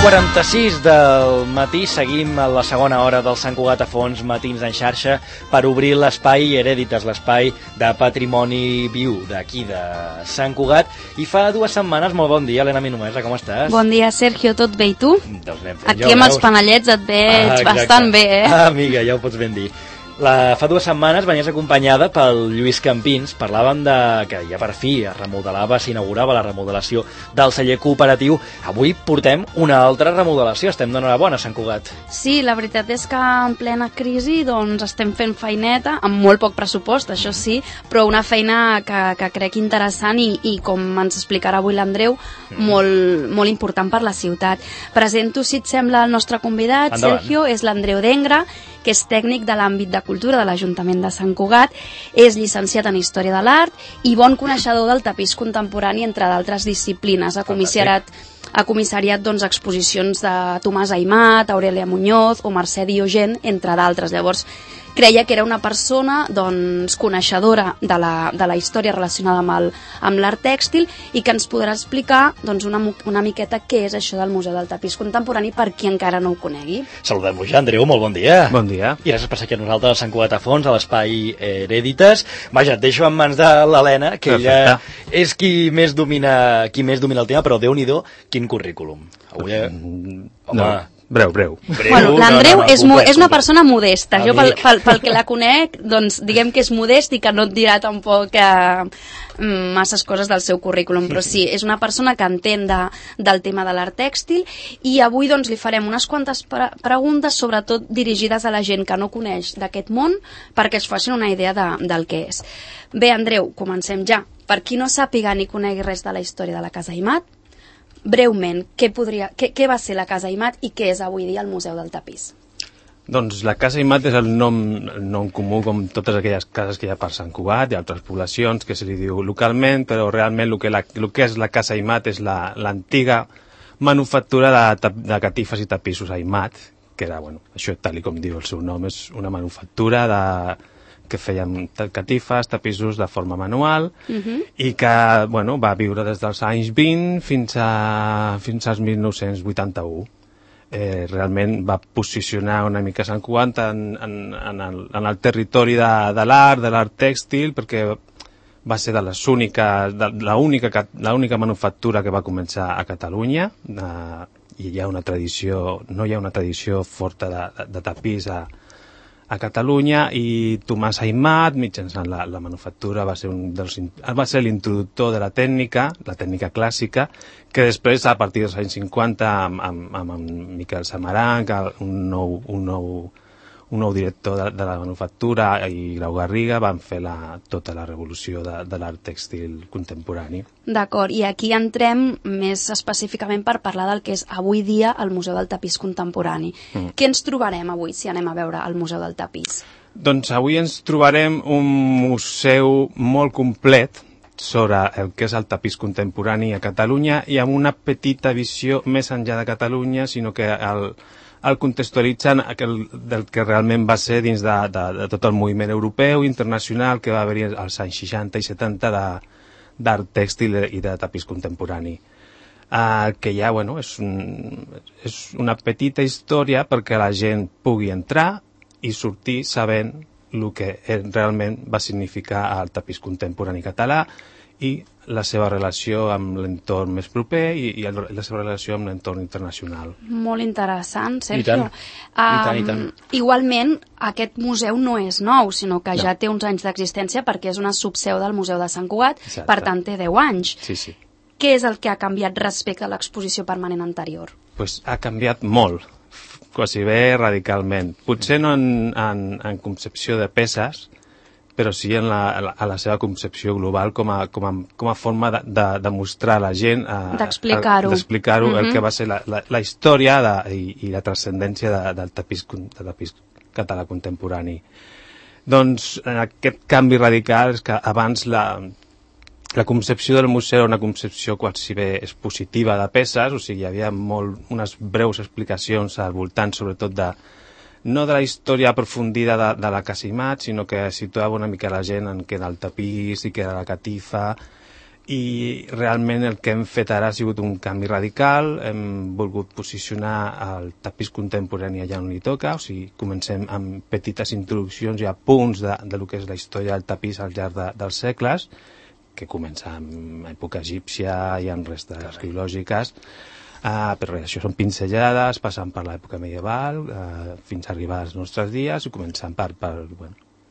9:46 del matí, seguim a la segona hora del Sant Cugat a Fons, Matins en xarxa, per obrir l'espai Herèdites, l'espai de patrimoni viu d'aquí de Sant Cugat. I fa 2 setmanes, molt bon dia, Helena Minumesa, com estàs? Bon dia, Sergio, tot bé, i tu? Doncs anem fent, aquí amb els panellets et veig bastant bé, eh? Amiga, ja ho pots ben dir. Fa 2 setmanes venies acompanyada pel Lluís Campins. Parlàvem de que ja per fi es remodelava, s'inaugurava la remodelació del celler cooperatiu. Avui portem una altra remodelació, estem d'enhorabona a Sant Cugat. Sí, la veritat és que en plena crisi doncs estem fent feineta, amb molt poc pressupost, això sí, però una feina que crec interessant i com ens explicarà avui l'Andreu, molt important per la ciutat. Presento, si et sembla, el nostre convidat. Endavant. Sergio, és l'Andreu Dengra, que és tècnic de l'àmbit de cultura de l'Ajuntament de Sant Cugat, és llicenciat en Història de l'Art i bon coneixedor del tapís contemporani, entre d'altres disciplines. Ha comissariat doncs, exposicions de Tomàs Aimat, Aurelia Muñoz o Mercè Diogen, entre d'altres. Llavors, creia que era una persona doncs, coneixedora de la història relacionada amb l'art tèxtil i que ens podrà explicar doncs, una miqueta què és això del Museu del Tapís Contemporani per qui encara no ho conegui. Saludem-lo ja, Andreu, molt bon dia. Bon dia. I gràcies per ser aquí amb nosaltres a Sant Cugat a Fons, a l'espai Herèdites. Vaja, et deixo en mans de l'Helena, que ella és qui més domina el tema, però Déu-n'hi-do, quin currículum. Avui, home... Breu. Bueno, l'Andreu és una persona modesta. Jo, pel que la conec, doncs diguem que és modest i que no et dirà tampoc masses coses del seu currículum, però sí, és una persona que entén del tema de l'art tèxtil i avui doncs li farem unes quantes preguntes, sobretot dirigides a la gent que no coneix d'aquest món, perquè es facin una idea del que és. Bé, Andreu, comencem ja. Per qui no sàpiga ni conegui res de la història de la Casa Aimat, breument, què va ser la Casa Aimat i què és avui dia el Museu del Tapís? Doncs la Casa Aimat és el nom comú, com totes aquelles cases que hi ha per Sant Cugat i altres poblacions que se li diu localment, però realment el que és la Casa Aimat és l'antiga manufactura de catifes i tapissos Aimat, que era, això tal com diu el seu nom, és una manufactura que feien catifes, tapissos de forma manual i que va viure des dels anys 20 fins als 1981. Realment va posicionar una mica Sant Cugat en el territori de l'art tèxtil, perquè va ser l'única manufactura que va començar a Catalunya i no hi ha una tradició forta de tapís a Catalunya, i Tomàs Aimat, mitjançant la manufactura, va ser l'introductor de la tècnica clàssica, que després, a partir dels anys 50, amb Miquel Samaranch, un nou director de la manufactura, i Grau Garriga, van fer tota la revolució de l'art tèxtil contemporani. D'acord, i aquí entrem més específicament per parlar del que és avui dia el Museu del Tapís Contemporani. Què ens trobarem avui si anem a veure el Museu del Tapís? Doncs avui ens trobarem un museu molt complet sobre el que és el tapís contemporani a Catalunya, i amb una petita visió més enllà de Catalunya, sinó que el contextualitzen del que realment va ser dins de tot el moviment europeu i internacional que va haver-hi als anys 60 i 70 d'art tèxtil i de tapís contemporani. Que ja, és una petita història perquè la gent pugui entrar i sortir sabent el que realment va significar el tapís contemporani català i la seva relació amb l'entorn més proper i la seva relació amb l'entorn internacional. Molt interessant, I Sergio. tant. Igualment, aquest museu no és nou, sinó que ja té uns anys d'existència perquè és una subseu del Museu de Sant Cugat, per tant té 10 anys. Sí. Què és el que ha canviat respecte a l'exposició permanent anterior? Ha canviat molt, quasi bé radicalment. Potser no en concepció de peces, però sí a la seva concepció global com a forma de mostrar a la gent, d'explicar-ho, el que va ser la història i la transcendència del tapís català contemporani. Doncs aquest canvi radical és que abans la concepció del museu era una concepció quasi bé expositiva de peces, o sigui, hi havia unes breus explicacions al voltant, sobretot no de la història aprofundida de la Casa Aimat, sinó que situava una mica la gent en què era el tapís i què era la catifa, i realment el que hem fet ara ha sigut un canvi radical. Hem volgut posicionar el tapís contemporani allà on li toca, o sigui, comencem amb petites introduccions i apunts de lo que és la història del tapís al llarg dels segles, que comença amb època egípcia i amb restes arqueològiques, però això són pinzellades, passant per l'època medieval, fins a arribar als nostres dies, i començant per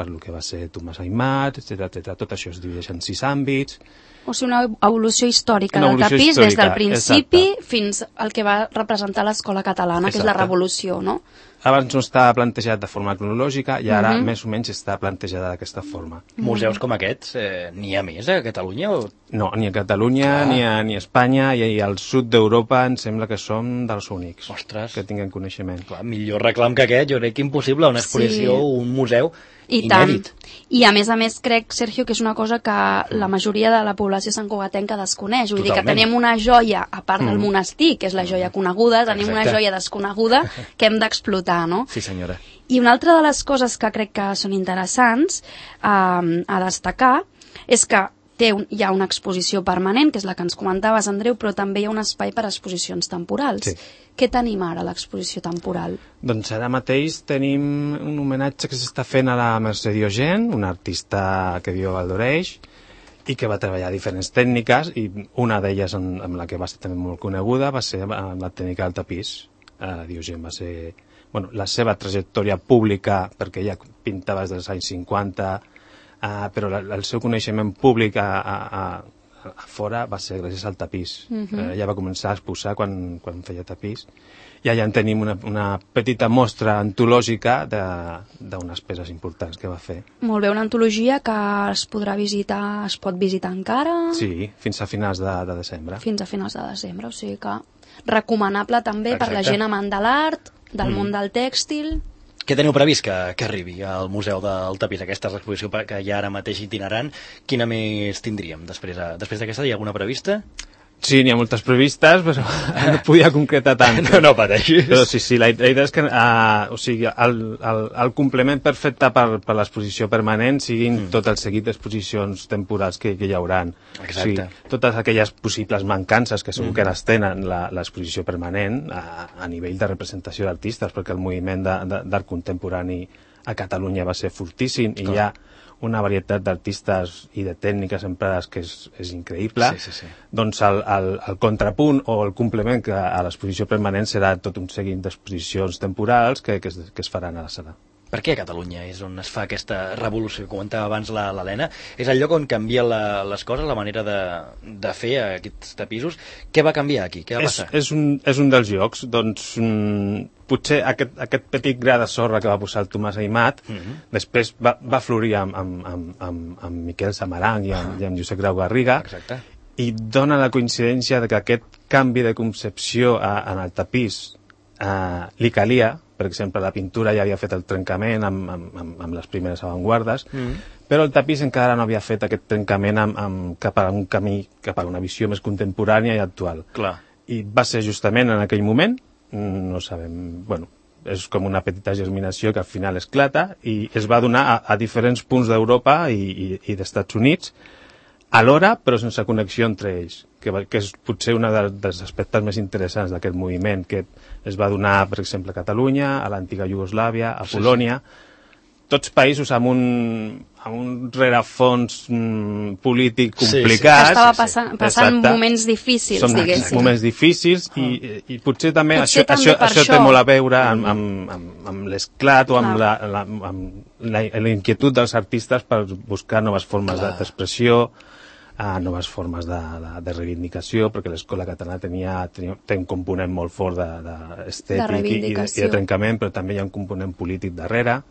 el que va ser Tomàs Aimat, etc. Tot això es divideix en 6 àmbits. O sigui, una evolució històrica del tapís des del principi fins al que va representar l'escola catalana, que és la revolució, no? Abans no estava plantejat de forma cronològica i ara més o menys està plantejada d'aquesta forma. Museus com aquests, n'hi ha més a Catalunya? No, ni a Catalunya, ni a Espanya, i al sud d'Europa em sembla que som dels únics que tinguen coneixement. Clar, millor reclam que aquest, jo crec que impossible, una exposició, un museu inèdit. I a més crec, Sergio, que és una cosa que la majoria de la població santcugatenca desconeix. Vull dir que tenim una joia, a part del monestir, que és la joia coneguda, tenim una joia desconeguda que hem d'explotar, no? Sí, senyora. I una altra de les coses que crec que són interessants a destacar és que hi ha una exposició permanent, que és la que ens comentaves, Andreu, però també hi ha un espai per a exposicions temporals. Sí. Què tenim ara a l'exposició temporal? Doncs ara mateix tenim un homenatge que s'està fent a la Mercè Diogen, una artista que viu a Valdoreix i que va treballar diferents tècniques, i una d'elles amb la que va ser també molt coneguda va ser amb la tècnica del tapís. Diogen va ser... la seva trajectòria pública, perquè ella pintava des dels anys 50, però el seu coneixement públic a fora va ser gràcies al tapís. Ella va començar a exposar quan feia tapís, i allà en tenim una petita mostra antològica d'unes peces importants que va fer. Molt bé, una antologia que es podrà visitar, es pot visitar encara? Sí, fins a finals de desembre. Fins a finals de desembre, o sigui que recomanable també per la gent amant de l'art, del món del tèxtil. Què teniu previst que arribi al Museu del Tapís, aquesta exposició que hi ha ara mateix itinerant? Quina més tindríem després d'aquesta? Hi ha alguna prevista? Sí, n'hi ha moltes previstes, però no podia concretar tant. No pateixis. Però sí, la idea és que el complement perfecte per l'exposició permanent siguin tot el seguit d'exposicions temporals que hi haurà. Exacte. O sigui, totes aquelles possibles mancances que segur que les tenen l'exposició permanent a nivell de representació d'artistes, perquè el moviment d'art contemporani a Catalunya va ser fortíssim i hi ha una varietat d'artistes i de tècniques emprades que és increïble. Doncs el contrapunt o el complement a l'exposició permanent serà tot un seguit d'exposicions temporals que es faran a la sala. Per què a Catalunya és on es fa aquesta revolució que comentava abans l'Helena? És el lloc on canvien les coses, la manera de fer aquests tapissos? Què va canviar aquí? Què va passar? És un dels llocs. Doncs potser aquest petit gra de sorra que va posar el Tomàs Aimat després va florir amb Miquel Samaranch i amb Josep Grau Garriga. Exacte. I dona la coincidència que aquest canvi de concepció en el tapís li calia. Per exemple, la pintura ja havia fet el trencament amb les primeres avantguardes, però el tapís encara no havia fet aquest trencament cap a un camí, cap a una visió més contemporània i actual. Clar. I va ser justament en aquell moment, no sabem, és com una petita germinació que al final esclata i es va donar a diferents punts d'Europa i d'Estats Units, alhora, però sense connexió entre ells, que és potser un dels aspectes més interessants d'aquest moviment, que es va donar, per exemple, a Catalunya, a l'antiga Iugoslàvia, a Polònia, tots països amb un rerefons polític complicat. Que estava passant moments difícils, diguéssim. Moments difícils i potser també això té molt a veure amb l'esclat o amb la inquietud dels artistes per buscar noves formes d'expressió, noves formes de reivindicació, perquè l'escola catalana té un component molt fort d'estètic i de trencament, però també hi ha un component polític darrere.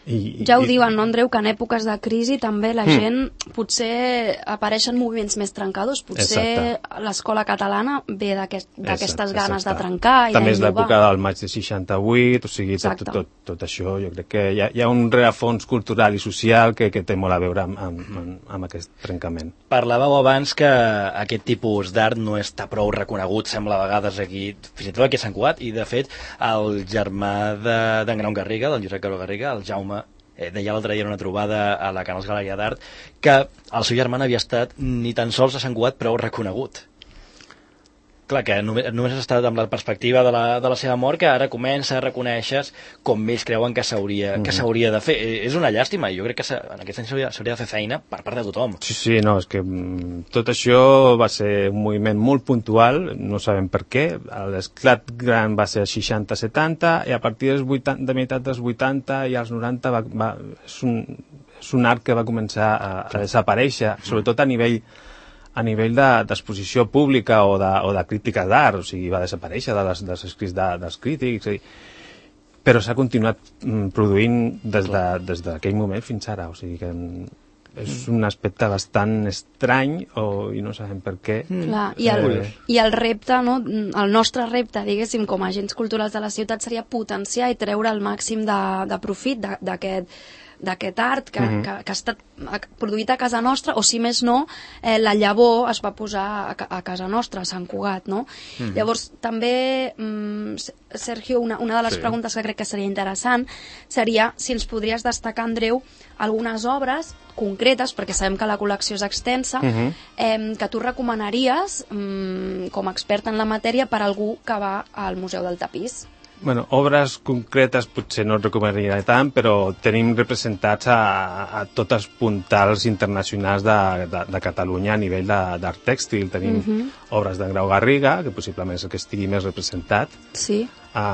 Ja ho diuen, no, Andreu, que en èpoques de crisi també la gent potser apareixen moviments més trencadors, potser l'escola catalana ve d'aquestes ganes de trencar i també és l'època del maig de 68, o sigui, tot això jo crec que hi ha un rerefons cultural i social que té molt a veure amb aquest trencament. Parlàveu abans que aquest tipus d'art no està prou reconegut, sembla a vegades aquí, fins i tot aquí a Sant Cugat, i de fet el germà d'en Grau Garriga, del Josep Grau Garriga, el Jaume deia l'altre dia en una trobada a la Canals Galeria d'Art, que el seu germà no havia estat ni tan sols a Sant Cugat prou reconegut. Clar, que només has estat amb la perspectiva de la seva mort, que ara comença a reconèixer com ells creuen que s'hauria de fer. És una llàstima, i jo crec que en aquest any s'hauria de fer feina per part de tothom. Sí, no, és que tot això va ser un moviment molt puntual, no sabem per què. L'esclat gran va ser als 60-70, i a partir de meitat dels 80 i als 90 és un art que va començar a desaparèixer, sobretot a nivell d'exposició pública o de crítica d'art, o sigui, va desaparèixer dels escrits dels crítics, però s'ha continuat produint des d'aquell moment fins ara, o sigui que és un aspecte bastant estrany i no sabem per què. Clar, i el repte, no? El nostre repte, diguéssim, com a agents culturals de la ciutat seria potenciar i treure el màxim de profit d'aquest art que ha estat produït a casa nostra, o si més no, la llavor es va posar a casa nostra, a Sant Cugat, no? Llavors, també, Sergio, una de les preguntes que crec que seria interessant seria si ens podries destacar, Andreu, algunes obres concretes, perquè sabem que la col·lecció és extensa, que tu recomanaries, com a expert en la matèria, per algú que va al Museu del Tapís. Bueno, obres concretes potser no et recomanaria tant, però tenim representats a tots els puntals internacionals de Catalunya a nivell d'art tèxtil. Tenim obres d'en Grau Garriga, que possiblement és el que estigui més representat,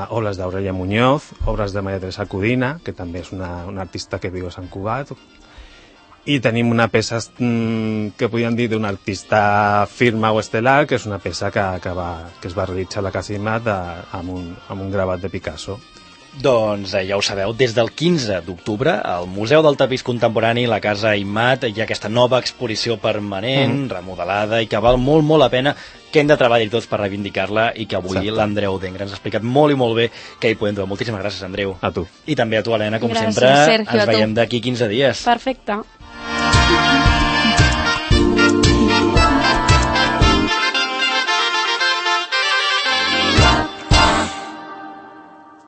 obres d'Aurelia Muñoz, obres de Maria Teresa Codina, que també és una artista que viu a Sant Cugat, i tenim una peça que podríem dir d'un artista firma o estel·lar, que és una peça que es va realitzar a la Casa Imat amb un gravat de Picasso. Doncs ja ho sabeu, des del 15 d'octubre al Museu del Tapís Contemporani, la Casa Imat, hi ha aquesta nova exposició permanent, remodelada, i que val molt, molt la pena, que hem de treballar tots per reivindicar-la, i que avui l'Andreu Dengra ens ha explicat molt i molt bé que hi podem trobar. Moltíssimes gràcies, Andreu. A tu. I també a tu, Helena, com gràcies, sempre, Sergio, ens veiem d'aquí 15 dies. Perfecte.